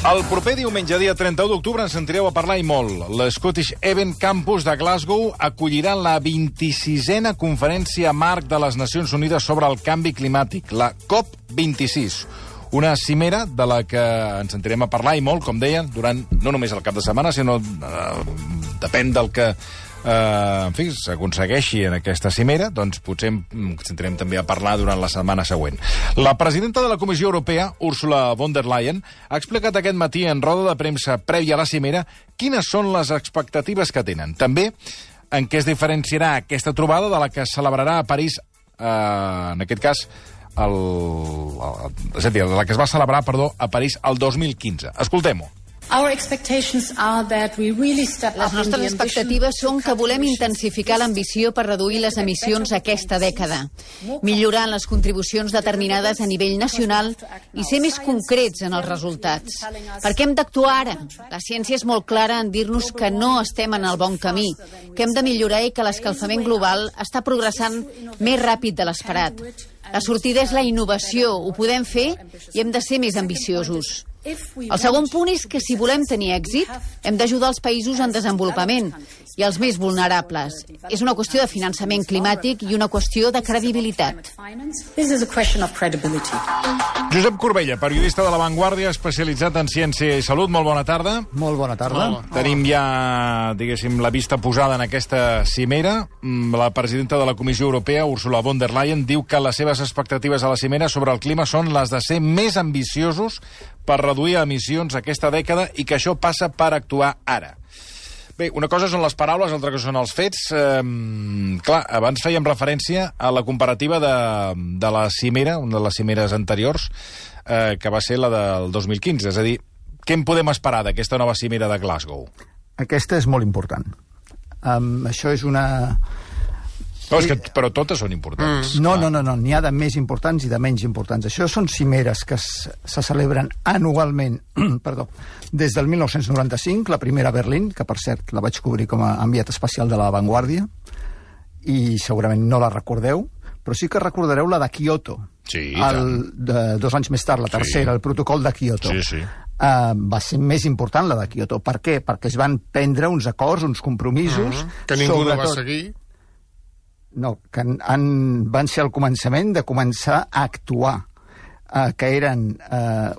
El proper diumenge, dia 31 d'octubre, ens sentireu a parlar i molt. L'Scottish Event Campus de Glasgow acollirà la 26a Conferència Marc de les Nacions Unides sobre el canvi climàtic, la COP26. Una cimera de la que ens sentirem a parlar i molt, com deia, durant no només el cap de setmana, sinó depèn del que en fi, s'aconsegueixi en aquesta cimera, doncs potser ens sentirem també a parlar durant la setmana següent. La presidenta de la Comissió Europea, Ursula von der Leyen, ha explicat aquest matí en roda de premsa prèvia a la cimera quines són les expectatives que tenen. També en què es diferenciarà aquesta trobada de la que es celebrarà a París, en aquest cas, és a dir, la que es va celebrar, a París el 2015. Escoltem-ho. Les nostres expectatives són que volem intensificar l'ambició per reduir les emissions aquesta dècada, millorant les contribucions determinades a nivell nacional i ser més concrets en els resultats. Perquè hem d'actuar ara. La ciència és molt clara en dir-nos que no estem en el bon camí, que hem de millorar i que l'escalfament global està progressant més ràpid de l'esperat. La sortida és la innovació, ho podem fer i hem de ser més ambiciosos. El segon punt és que si volem tenir èxit, hem d'ajudar els països en desenvolupament i els més vulnerables. És una qüestió de finançament climàtic i una qüestió de credibilitat. Josep Corbella, periodista de La Vanguardia, especialitzat en ciència i salut. Molt bona tarda. Molt bona tarda. Tenim ja, diguéssim, la vista posada en aquesta cimera. La presidenta de la Comissió Europea, Ursula von der Leyen, diu que les seves expectatives a la cimera sobre el clima són les de ser més ambiciosos per reduir emissions aquesta dècada i que això passa per actuar ara. Bé, una cosa són les paraules, l'altra cosa són els fets. Clar, abans fèiem referència a la comparativa de la cimera, una de les cimeres anteriors, que va ser la del 2015. És a dir, què en podem esperar d'aquesta nova cimera de Glasgow? Aquesta és molt important. Això és una... Però totes són importants. No, n'hi ha de més importants i de menys importants. Això són cimeres que se celebren anualment, des del 1995, la primera a Berlín, que per cert la vaig cobrir com a enviat especial de La Vanguardia, i segurament no la recordeu, però sí que recordareu la de Kyoto. Sí, 2 anys més tard, la tercera, el protocol de Kyoto. Sí. Va ser més important la de Kyoto. Per què? Perquè es van prendre uns acords, uns compromisos... Que ningú no va seguir. No, que van ser al començament de començar a actuar, que eren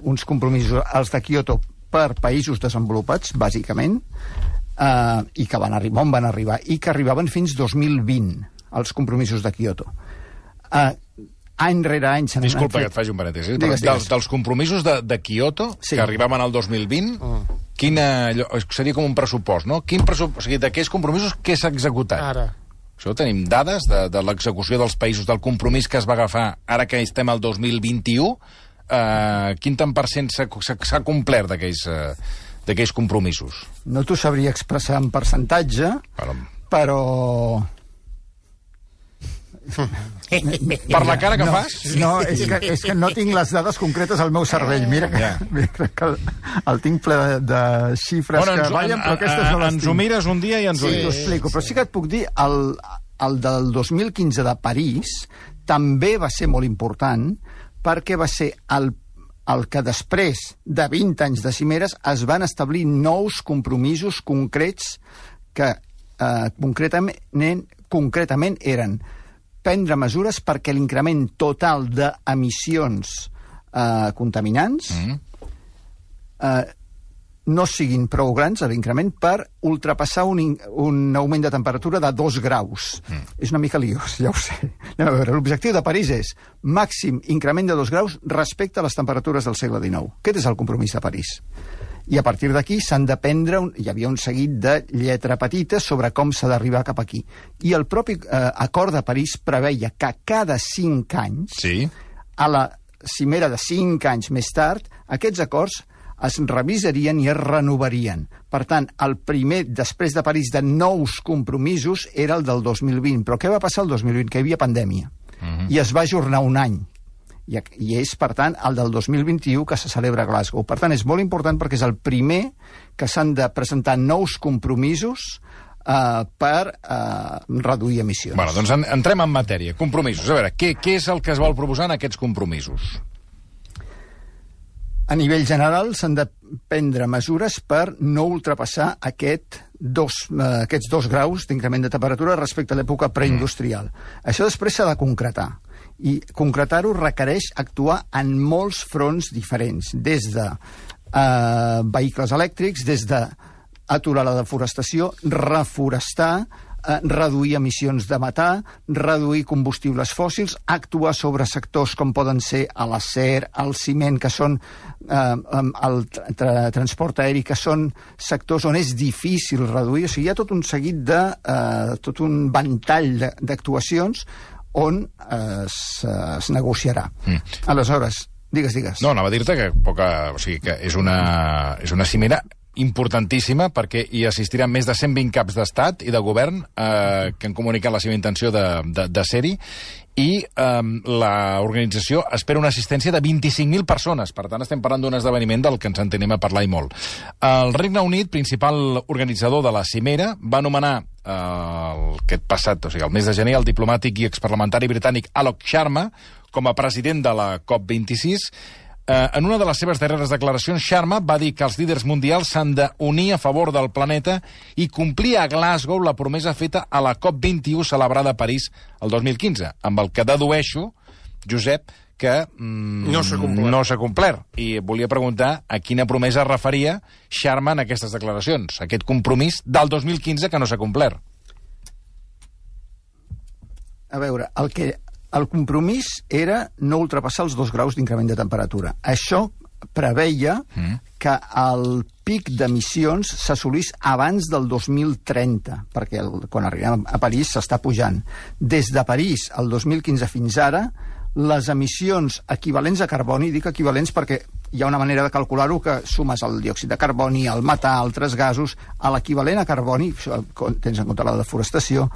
uns compromisos, els de Kyoto, per països desenvolupats, bàsicament, i que van arribar, i que arribaven fins 2020, els compromisos de Kyoto. Any rere any... Disculpa que et faci un parèntesi. Dels compromisos de Kyoto, que arribaven al 2020, seria com un pressupost, no? O sigui, d'aquells compromisos, què s'ha executat? Ara. Això tenim dades de l'execució dels països, del compromís que es va agafar ara que estem al 2021. Quin tant per cent s'ha complert d'aquells compromisos? No t'ho sabria expressar en percentatge, però... Per la cara que fas? No, és que no tinc les dades concretes al meu cervell. Mira que el tinc ple de xifres que ballen, però aquestes no les tinc. Ens ho mires un dia i ens ho dius. T'ho explico, però sí que et puc dir, el del 2015 de París també va ser molt important, perquè va ser el que després de 20 anys de cimeres es van establir nous compromisos concrets que concretament eren prendre mesures perquè l'increment total d'emissions contaminants no siguin prou grans, l'increment, per ultrapassar un augment de temperatura de 2 graus. És una mica liós, ja ho sé. Anem a veure, l'objectiu de París és màxim increment de 2 graus respecte a les temperatures del segle XIX. Aquest és el compromís de París. I a partir d'aquí s'han de prendre... Hi havia un seguit de lletra petita sobre com s'ha d'arribar cap aquí. I el propi acord de París preveia que cada 5 anys, a la cimera de 5 anys més tard, aquests acords es revisarien i es renovarien. Per tant, el primer, després de París, de nous compromisos era el del 2020. Però què va passar el 2020? Que hi havia pandèmia. I es va ajornar un any. I és, per tant, el del 2021 que se celebra a Glasgow. Per tant, és molt important perquè és el primer que s'han de presentar nous compromisos per reduir emissions. Bueno, doncs entrem en matèria. Compromisos. A veure, què és el que es vol proposar en aquests compromisos? A nivell general s'han de prendre mesures per no ultrapassar aquests 2 graus d'increment de temperatura respecte a l'època preindustrial. Això després s'ha de concretar. I concretar-ho requereix actuar en molts fronts diferents, des de vehicles elèctrics, des d'aturar la deforestació, reforestar, reduir emissions de metà, reduir combustibles fòssils, actuar sobre sectors com poden ser l'acer, el ciment, que són el transport aeri, que són sectors on és difícil reduir. O sigui, hi ha tot un seguit tot un ventall d'actuacions on es negociarà. Aleshores, digues. No, anava a dir-te que és una cimera importantíssima, perquè hi assistiran més de 120 caps d'estat i de govern que han comunicat la seva intenció de ser-hi, i l'organització espera una assistència de 25.000 persones. Per tant, estem parlant d'un esdeveniment del que ens en tenim a parlar i molt. El Regne Unit, principal organitzador de la cimera, va anomenar aquest passat, o sigui, el mes de gener, el diplomàtic i exparlamentari britànic Alok Sharma com a president de la COP26. En una de les seves darreres declaracions, Sharma va dir que els líders mundials s'han d'unir a favor del planeta i complir a Glasgow la promesa feta a la COP21 celebrada a París el 2015, amb el que dedueixo, Josep, que no s'ha complert. I volia preguntar a quina promesa es referia Sharma en aquestes declaracions, aquest compromís del 2015 que no s'ha complert. A veure, el compromís era no ultrapassar els 2 graus d'increment de temperatura. Això preveia que el pic d'emissions s'assolís abans del 2030, perquè quan arribem a París s'està pujant. Des de París, el 2015 fins ara, les emissions equivalents a carboni, dic equivalents perquè hi ha una manera de calcular-ho que sumes el diòxid de carboni, el metà, altres gasos, a l'equivalent a carboni, tens en compte la deforestació,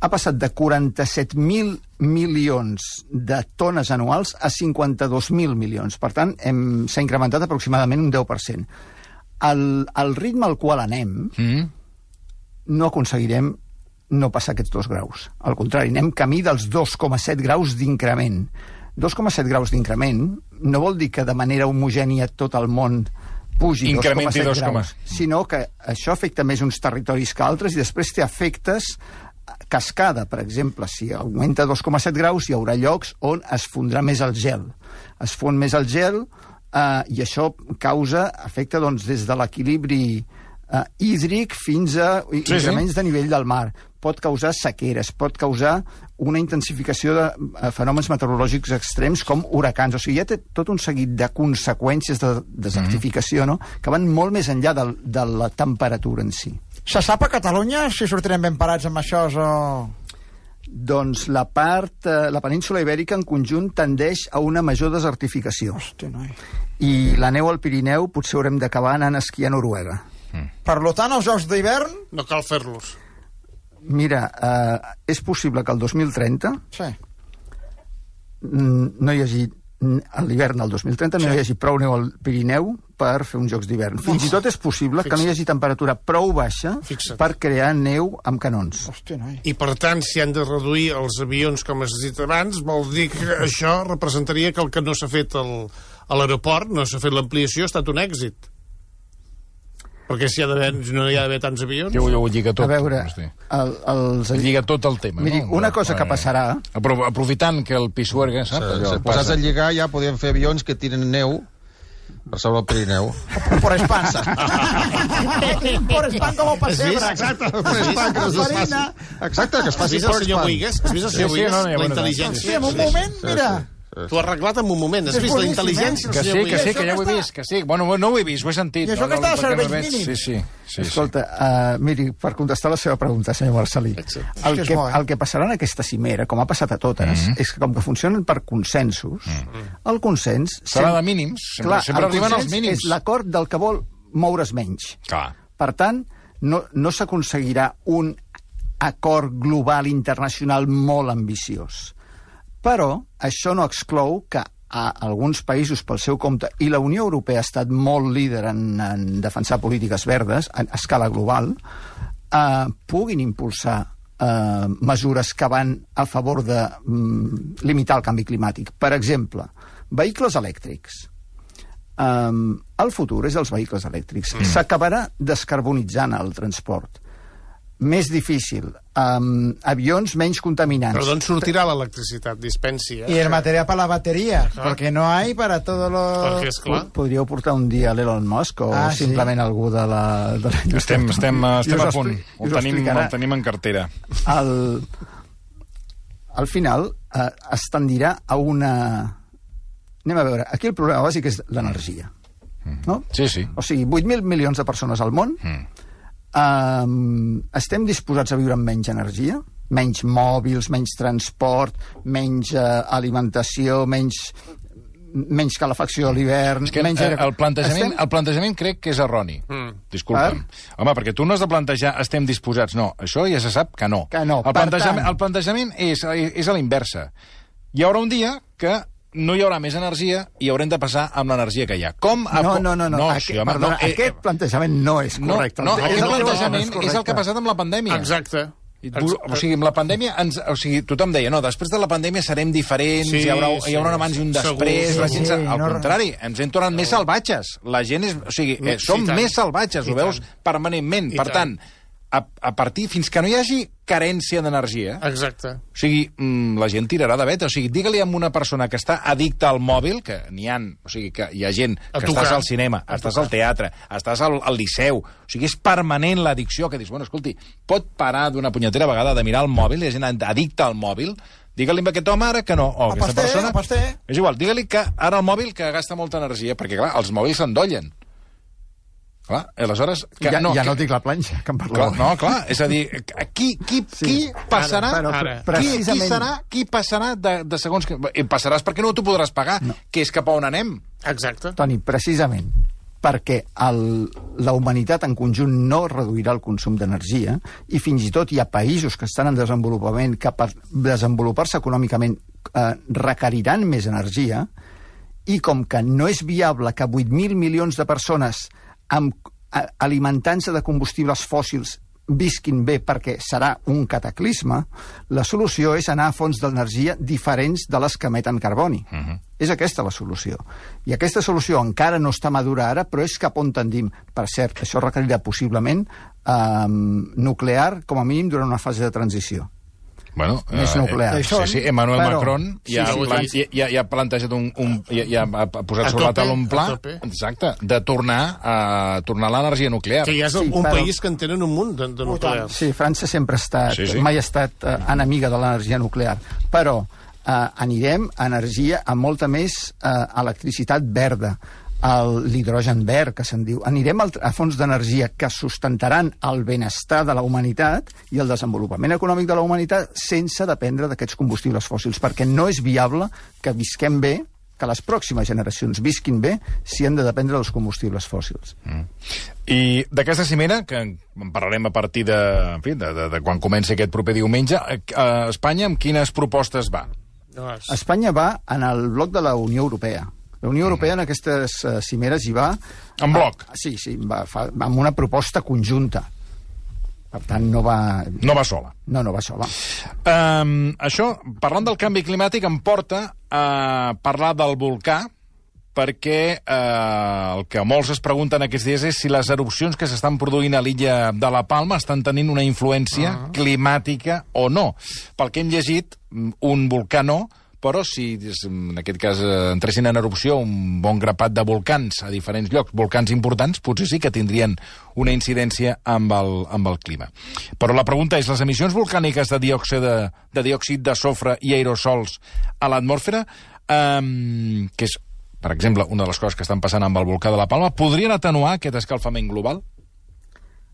ha passat de 47.000 milions de tones anuals a 52.000 milions. Per tant, s'ha incrementat aproximadament un 10%. Al ritme al qual anem, no aconseguirem no passar aquests 2 graus. Al contrari, anem camí dels 2,7 graus d'increment. 2,7 graus d'increment no vol dir que de manera homogènia tot el món pugi 2,7 graus, sinó que això afecta més uns territoris que altres i després té efectes cascada. Per exemple, si augmenta 2,7 graus hi haurà llocs on es fondrà més el gel. Es fon més el gel i això afecta des de l'equilibri hídric fins a increments de nivell del mar. Pot causar sequeres, pot causar una intensificació de fenòmens meteorològics extrems com huracans. O sigui, hi ha tot un seguit de conseqüències de desertificació, no?, que van molt més enllà de la temperatura en si. Se sap a Catalunya si sortirem ben parats amb això o... Doncs la península ibèrica en conjunt tendeix a una major desertificació. Hosti, noi. I la neu al Pirineu potser haurem d'acabar anant a esquiar a Noruega. Per tant, els jocs d'hivern... No cal fer-los. Mira, és possible que el 2030 no hi hagi, a l'hivern del 2030 no hi hagi prou neu al Pirineu per fer uns jocs d'hivern. Fins i tot és possible que no hi hagi temperatura prou baixa per crear neu amb canons. Hosti, noi. I per tant, si han de reduir els avions, com has dit abans, vol dir que això representaria que el que no s'ha fet a l'aeroport, no s'ha fet l'ampliació, ha estat un èxit. Perquè si no hi ha d'haver tants avions... Jo ho lliga tot. A veure... Lliga tot el tema. Miri, una cosa que passarà... Aprofitant que el Pisuerga, saps? Si posats a lligar ja podien fer avions que tiren neu per sobre el Pirineu. Por Espan. Por Espan com el pessebre. Exacte, que es faci por Espan. Has vist el senyor Boigues? La intel·ligència. Sí, en un moment, mira... T'ho has arreglat en un moment. Has vist la intel·ligència? Que sí, que ja ho he vist. Que sí. Bueno, no ho he vist, ho he sentit. I això que està a serveis mínims. Sí. Escolta, miri, per contestar la seva pregunta, senyor Marcelí, el que passarà en aquesta cimera, com ha passat a totes, és que com que funcionen per consensos, el consens... Serà de mínims. Sempre arriben els mínims. És l'acord del que vol moure's menys. Clar. Per tant, no s'aconseguirà un acord global internacional molt ambiciós. Però això no exclou que alguns països pel seu compte, i la Unió Europea ha estat molt líder en defensar polítiques verdes a escala global, puguin impulsar mesures que van a favor de limitar el canvi climàtic. Per exemple, vehicles elèctrics. El futur és els vehicles elèctrics. S'acabarà descarbonitzant el transport. Més difícil. Avions menys contaminants. Però d'on sortirà l'electricitat? Dispensi, Y el material para la batería, porque no hay para todos los... Perquè, esclar... Podríeu portar un dia l'Elon Musk o simplement algú de la indústria. Estem a punt. Ho tenim en cartera. Al final es tendirà a una... Anem a veure, aquí el problema bàsic és l'energia. No? Sí, sí. O sigui, 8.000 milions de persones al món, estem disposats a viure amb menys energia? Menys mòbils, menys transport, menys alimentació, menys calefacció a l'hivern... És que el plantejament crec que és erroni. Disculpa'm. Home, perquè tu no has de plantejar estem disposats. No, això ja se sap que no. El plantejament és a la inversa. Hi haurà un dia que no hi haurà més energia i haurem de passar amb l'energia que hi ha. Com? No. Aquest plantejament no és correcte. No, aquest plantejament és el que ha passat amb la pandèmia. Exacte. O sigui, amb la pandèmia, tothom deia, no, després de la pandèmia serem diferents, hi haurà un abans i un després, al contrari, ens hem tornat més salvatges. La gent és... O sigui, som més salvatges, ho veus permanentment. Per tant, a partir, fins que no hi hagi carència d'energia... Exacte. O sigui, la gent tirarà de veta. O sigui, digue-li a una persona que està addicta al mòbil, que n'hi ha... O sigui, que hi ha gent que estàs al cinema, estàs al teatre, estàs al liceu... O sigui, és permanent l'addicció, que dius, bueno, escolti, pot parar d'una punyetera vegada de mirar el mòbil, hi ha gent addicta al mòbil, digue-li a aquest home ara que no. O aquesta persona... És igual, digue-li que ara el mòbil que gasta molta energia, perquè, clar, els mòbils s'endollen. Clar, aleshores... Ja no dic la planxa, que em parleu. No, clar, és a dir, qui passarà... Qui passarà de segons... Passaràs perquè no t'ho podràs pagar, que és cap a on anem. Exacte. Toni, precisament perquè la humanitat en conjunt no reduirà el consum d'energia i fins i tot hi ha països que estan en desenvolupament que per desenvolupar-se econòmicament requeriran més energia i com que no és viable que 8.000 milions de persones alimentant-se de combustibles fòssils visquin bé perquè serà un cataclisme, la solució és anar a fonts d'energia diferents de les que emeten carboni. És aquesta la solució. I aquesta solució encara no està madura ara, però és cap on tendim. Per cert, això requerirà possiblement nuclear, com a mínim, durant una fase de transició. Bueno, més nuclear. Sí, Emmanuel Macron ja ha plantejat ja ha posat sobre la taula un pla de tornar l'energia nuclear. Que ja és un país que en tenen un munt de nuclear. Sí, França sempre ha estat, mai ha estat enemiga de l'energia nuclear, però anirem a energia amb molta més electricitat verda, l'hidrogen verd, que se'n diu. Anirem a fonts d'energia que sustentaran el benestar de la humanitat i el desenvolupament econòmic de la humanitat sense dependre d'aquests combustibles fòssils, perquè no és viable que visquem bé, que les pròximes generacions visquin bé si han de dependre dels combustibles fòssils. I d'aquesta cimera, que en parlarem a partir de quan comenci aquest proper diumenge, a Espanya amb quines propostes va? Espanya va en el bloc de la Unió Europea. La Unió Europea en aquestes cimeres hi va... En bloc? Sí, va amb una proposta conjunta. Per tant, no va... No va sola. No va sola. Això, parlant del canvi climàtic, em porta a parlar del volcà, perquè el que molts es pregunten aquests dies és si les erupcions que s'estan produint a l'illa de la Palma estan tenint una influència climàtica o no. Pel que hem llegit, un volcà no, però si en aquest cas entressin en erupció un bon grapat de volcans a diferents llocs, volcans importants, potser sí que tindrien una incidència amb el clima. Però la pregunta és, les emissions volcàniques de diòxid de sofre i aerosols a l'atmosfera, que és, per exemple, una de les coses que estan passant amb el volcà de la Palma, podrien atenuar aquest escalfament global?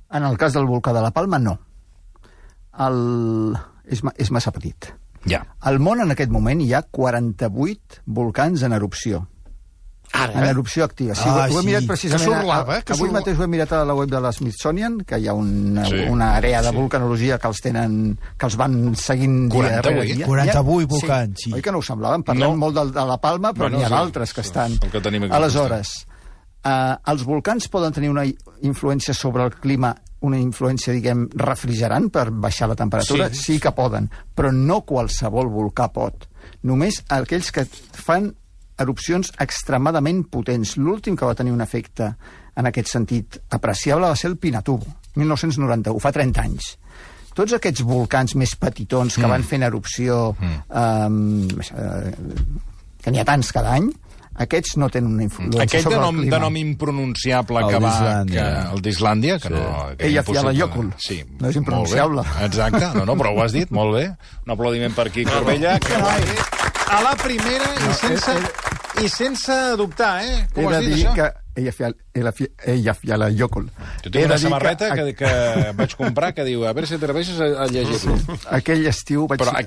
En el cas del volcà de la Palma, no. És massa petit. Ja. Al món en aquest moment hi ha 48 volcans en erupció. En erupció activa. Sí, ho he mirat precisament... Avui mateix ho he mirat a la web de l'Smithsonian, que hi ha una àrea de volcanologia que els van seguint dia rere dia. 48 volcans, sí. Oi que no ho semblaven? Parlem molt de la Palma, però n'hi ha d'altres que estan... Aleshores, els volcans poden tenir una influència sobre el clima, una influència, diguem, refrigerant per baixar la temperatura? Sí que poden, però no qualsevol volcà pot. Només aquells que fan erupcions extremadament potents. L'últim que va tenir un efecte en aquest sentit apreciable va ser el Pinatubo, 1991, fa 30 anys. Tots aquests volcans més petitons que van fent erupció, que n'hi ha tants cada any, aquests no tenen una influència sobre el clima. De nom impronunciable que va... El d'Islàndia, que no... Eyjafjallajökull. Sí, no és impronunciable. Exacte, no, però ho has dit, molt bé. Un aplaudiment per aquí, Corbella, que ho ha dit a la primera i sense dubtar, eh? Com has dit, això? Eyjafjallajökull. Tu tens una samarreta que vaig comprar que diu a veure si t'atreveixes a llegir-lo. Aquell estiu vaig anar a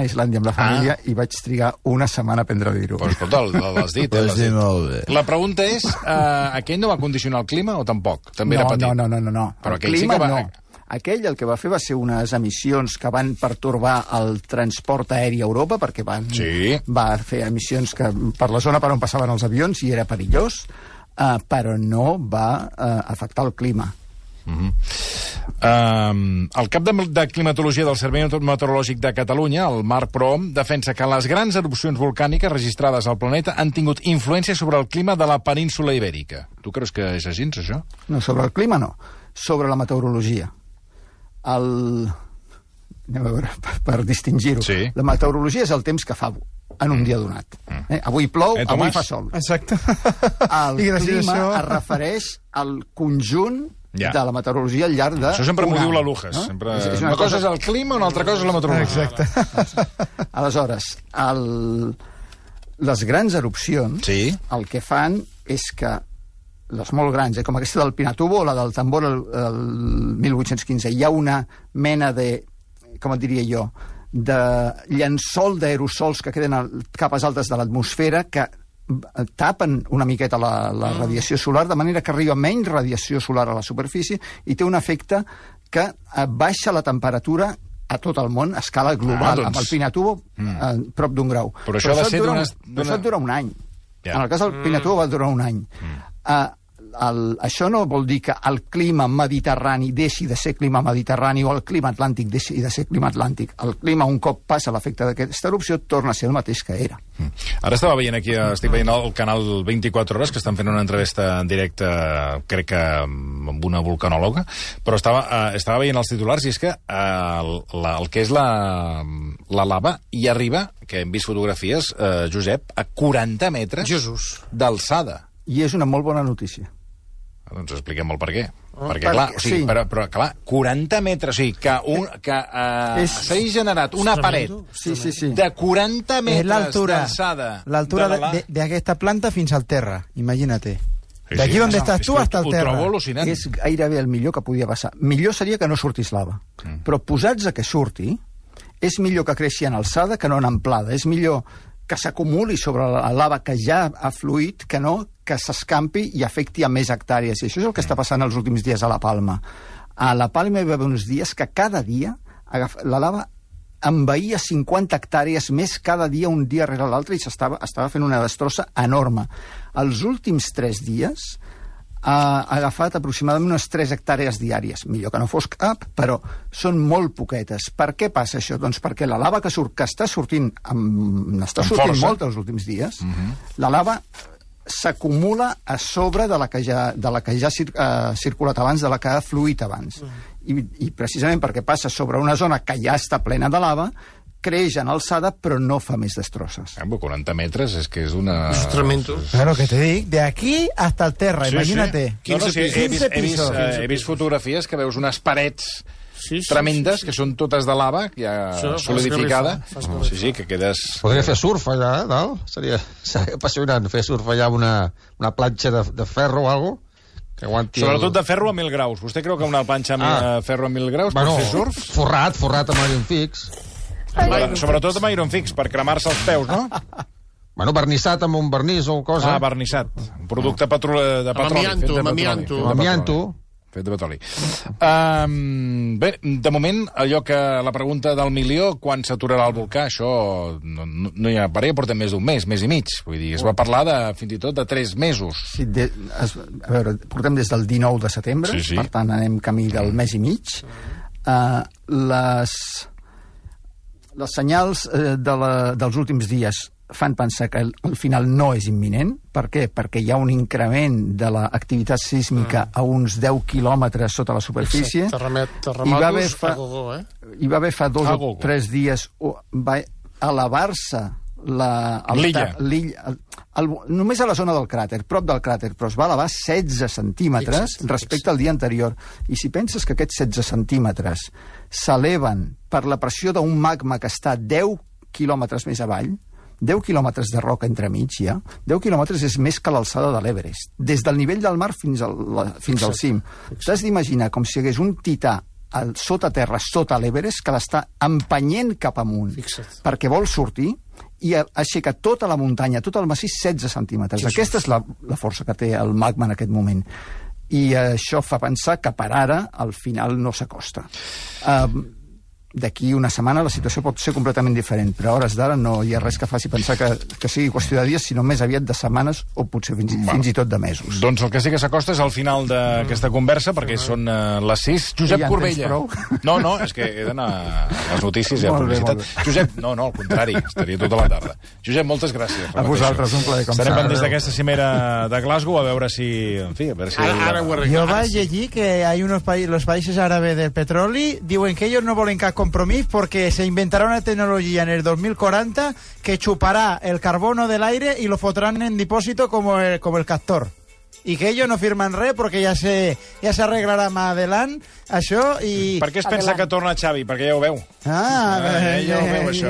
Islàndia amb la família i vaig trigar una setmana a aprendre a dir-ho. Però escolta, l'has dit. La pregunta és, aquell no va condicionar el clima o tampoc? També era petit? No. Però aquell sí que va... Aquell el que va fer va ser unes emissions que van pertorbar el transport aeri a Europa, perquè va fer emissions que per la zona per on passaven els avions i era perillós, però no va afectar el clima. El cap de climatologia del Servei Meteorològic de Catalunya, el Marc Prohom, defensa que les grans erupcions volcàniques registrades al planeta han tingut influència sobre el clima de la península ibèrica. Tu creus que és així, això? No, sobre el clima no. Sobre la meteorologia. Anem a veure, per distingir-ho. Sí. La meteorologia és el temps que fa en un dia donat. Avui plou, avui fa sol. Exacte. El clima es refereix al conjunt de la meteorologia al llarg de... Això sempre m'ho diu la Lujas. Una cosa és el clima, una altra cosa és la meteorologia. Exacte. Aleshores, les grans erupcions el que fan és que les molt grans, com aquesta del Pinatubo o la del Tambor el 1815, hi ha una mena de, com et diria jo, de llençol d'aerosols que queden a capes altes de l'atmosfera que tapen una miqueta la radiació solar, de manera que arriba menys radiació solar a la superfície i té un efecte que baixa la temperatura a tot el món, a escala global, amb el Pinatubo prop d'un grau. Però això això dura un any. En el cas del Pinatubo va durar un any. Això no vol dir que el clima mediterrani deixi de ser clima mediterrani o el clima atlàntic deixi de ser clima atlàntic. El clima, un cop passa l'efecte d'aquesta erupció, torna a ser el mateix que era. Ara estava veient aquí, estic veient el canal 24 Hores, que estan fent una entrevista en directe, crec que amb una vulcanòloga, però estava veient els titulars i és que el que és la lava hi arriba, que hem vist fotografies, Josep, a 40 metres d'alçada. I és una molt bona notícia. Doncs expliquem el per què. Perquè, clar, però clar, 40 metres, o sigui, que s'ha generat una paret de 40 metres d'alçada. L'altura d'aquesta planta fins al terra, imagínate. D'aquí on estàs tu hasta el terra. Ho trobo al·lucinant. És gairebé el millor que podia passar. Millor seria que no sortís lava. Però posats a que surti, és millor que creixi en alçada que no en amplada. És millor que s'acumuli sobre la lava que ja ha fluït, que no que s'escampi i afecti a més hectàrees. I això és el que està passant els últims dies a la Palma. A la Palma hi va haver uns dies que cada dia la lava envaïa 50 hectàrees més cada dia, un dia rere l'altre, i estava fent una destrossa enorme. Els últims 3 dies ha agafat aproximadament unes 3 hectàrees diàries. Millor que no fos cap, però són molt poquetes. Per què passa això? Doncs perquè la lava que està sortint, n'està sortint molta els últims dies, la lava s'acumula a sobre de la que ja ha circulat abans, de la que ha fluït abans. I precisament perquè passa sobre una zona que ja està plena de lava, creix en alçada, però no fa més destrosses. 40 metres és que és una... És tremendo. Claro, que te dic, de aquí hasta el terra, imagínate. 15 pisos. He vist fotografies que veus unes parets tremendes, que són totes de lava, ja solidificada. Sí, que quedes... Podria fer surf allà, dalt? Seria apassionant fer surf allà amb una planxa de ferro o alguna cosa. Sobretot de ferro a 1.000 graus. Vostè creu que una planxa de ferro a 1.000 graus pot fer surf? Forrat amb iron fix. Sobretot amb iron fix, per cremar-se els peus, no? Bueno, vernissat amb un vernís o cosa. Vernissat. Un producte de petroli. Amb amianto. Fet de petroli. Bé, de moment, allò que la pregunta del milió, quan s'aturarà el volcà, això no hi ha parer, portem més d'un mes i mig. Vull dir, es va parlar fins i tot de 3 mesos. Sí, a veure, portem des del 19 de setembre, per tant anem camí del mes i mig. Les senyals dels últims dies fan pensar que el final no és imminent. Per què? Perquè hi ha un increment de l'activitat sísmica a uns 10 quilòmetres sota la superfície. Terremotos a gogó, Hi va haver fa 2 o 3 dies, va elevar-se l'illa. Només a la zona del cràter, prop del cràter, però es va elevar 16 centímetres respecte al dia anterior. I si penses que aquests 16 centímetres s'eleven per la pressió d'un magma que està 10 quilòmetres més avall, 10 quilòmetres de roca entremig, ja. 10 quilòmetres és més que l'alçada de l'Everest. Des del nivell del mar fins al cim. T'has d'imaginar com si hi hagués un tità sota terra, sota l'Everest, que l'està empenyent cap amunt perquè vol sortir i aixeca tota la muntanya, tot el massís, 16 centímetres. Aquesta és la força que té el magma en aquest moment. I això fa pensar que per ara el final no s'acosta. D'aquí una setmana la situació pot ser completament diferent, però a hores d'ara no hi ha res que faci pensar que sigui qüestió de dies, sinó més aviat de setmanes o potser fins i tot de mesos. Doncs el que sí que s'acosta és al final d'aquesta conversa, perquè són les 6. Josep Corbella. No, és que he d'anar a les notícies i a publicitat. Josep, no, al contrari, estaria tota la tarda. Josep, moltes gràcies. A vosaltres, un plaer, com sempre. Estarem pendents d'aquesta cimera de Glasgow, a veure si... En fi, a veure si... Yo vaig allí que hay los países árabes del petróleo, diuen que ellos no volen cap compromiso porque se inventará una tecnología en el 2040 que chupará el carbono del aire y lo fotrán en depósito como el Castor. Y que ellos no firman res porque ya se arreglarà más adelante això i... Per què es pensa que torna Xavi? Perquè ja ho veu. Ja ho veu, això.